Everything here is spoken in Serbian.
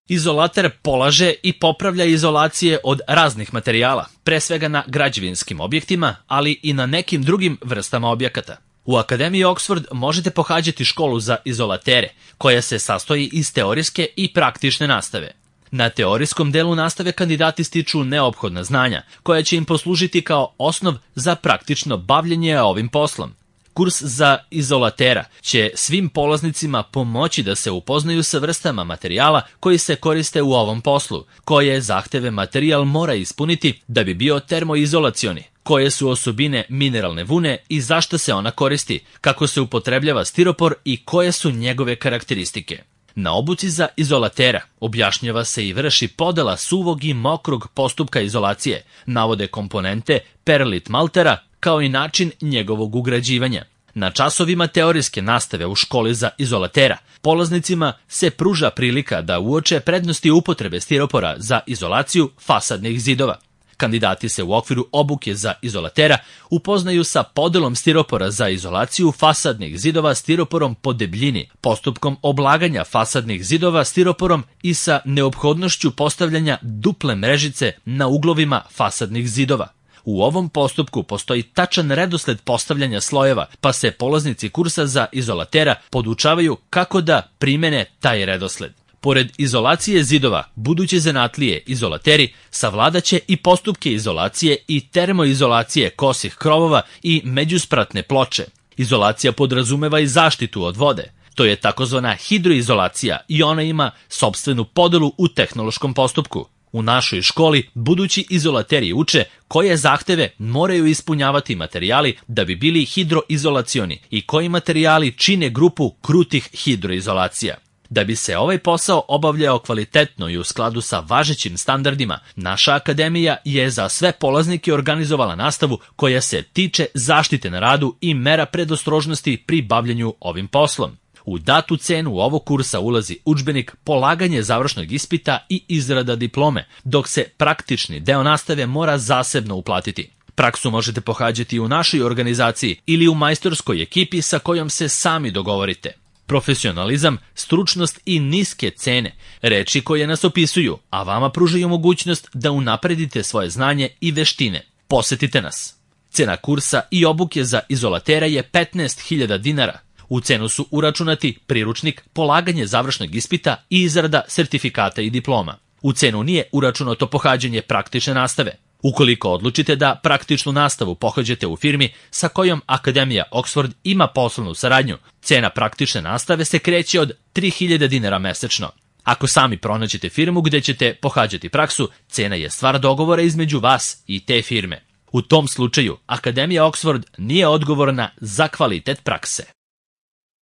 Izolater polaže i popravlja izolacije od raznih materijala, pre svega na građevinskim objektima, ali i na nekim drugim vrstama objekata. U Akademiji Oxford možete pohađati školu za izolatere, koja se sastoji iz teorijske i praktične nastave. Na teorijskom delu nastave kandidati stiču neophodna znanja, koja će im poslužiti kao osnov za praktično bavljenje ovim poslom. Kurs za izolatera će svim polaznicima pomoći da se upoznaju sa vrstama materijala koji se koriste u ovom poslu, koje zahteve materijal mora ispuniti da bi bio termoizolacioni, koje su osobine mineralne vune i zašto se ona koristi, kako se upotrebljava stiropor i koje su njegove karakteristike. Na obuci za izolatera objašnjava se i vrši podela suvog i mokrog postupka izolacije, navode komponente perlit maltera kao i način njegovog ugrađivanja. Na časovima teorijske nastave u školi za izolatera polaznicima se pruža prilika da uoče prednosti upotrebe stiropora za izolaciju fasadnih zidova. Kandidati se u okviru obuke za izolatera upoznaju sa podelom stiropora za izolaciju fasadnih zidova stiroporom po debljini, postupkom oblaganja fasadnih zidova stiroporom i sa neophodnošću postavljanja duple mrežice na uglovima fasadnih zidova. U ovom postupku postoji tačan redosled postavljanja slojeva, pa se polaznici kursa za izolatera podučavaju kako da primene taj redosled. Pored izolacije zidova, buduće zanatlije izolateri savladaće i postupke izolacije i termoizolacije kosih krovova i međuspratne ploče. Izolacija podrazumeva i zaštitu od vode. To je takozvana hidroizolacija i ona ima sopstvenu podelu u tehnološkom postupku. U našoj školi budući izolateri uče koje zahteve moraju ispunjavati materijali da bi bili hidroizolacioni i koji materijali čine grupu krutih hidroizolacija. Da bi se ovaj posao obavljao kvalitetno i u skladu sa važećim standardima, naša akademija je za sve polaznike organizovala nastavu koja se tiče zaštite na radu i mera predostrožnosti pri bavljenju ovim poslom. U datu cenu ovog kursa ulazi udžbenik, polaganje završnog ispita i izrada diplome, dok se praktični deo nastave mora zasebno uplatiti. Praksu možete pohađati u našoj organizaciji ili u majstorskoj ekipi sa kojom se sami dogovorite. Profesionalizam, stručnost i niske cene, reči koje nas opisuju, a vama pružaju mogućnost da unapredite svoje znanje i veštine. Posetite nas. Cena kursa i obuke za izolatera je 15.000 dinara. U cenu su uračunati priručnik, polaganje završnog ispita i izrada sertifikata i diploma. U cenu nije uračunato pohađanje praktične nastave. Ukoliko odlučite da praktičnu nastavu pohađate u firmi sa kojom Akademija Oxford ima poslovnu saradnju, cena praktične nastave se kreće od 3.000 dinara mesečno. Ako sami pronađete firmu gde ćete pohađati praksu, cena je stvar dogovora između vas i te firme. U tom slučaju, Akademija Oxford nije odgovorna za kvalitet prakse.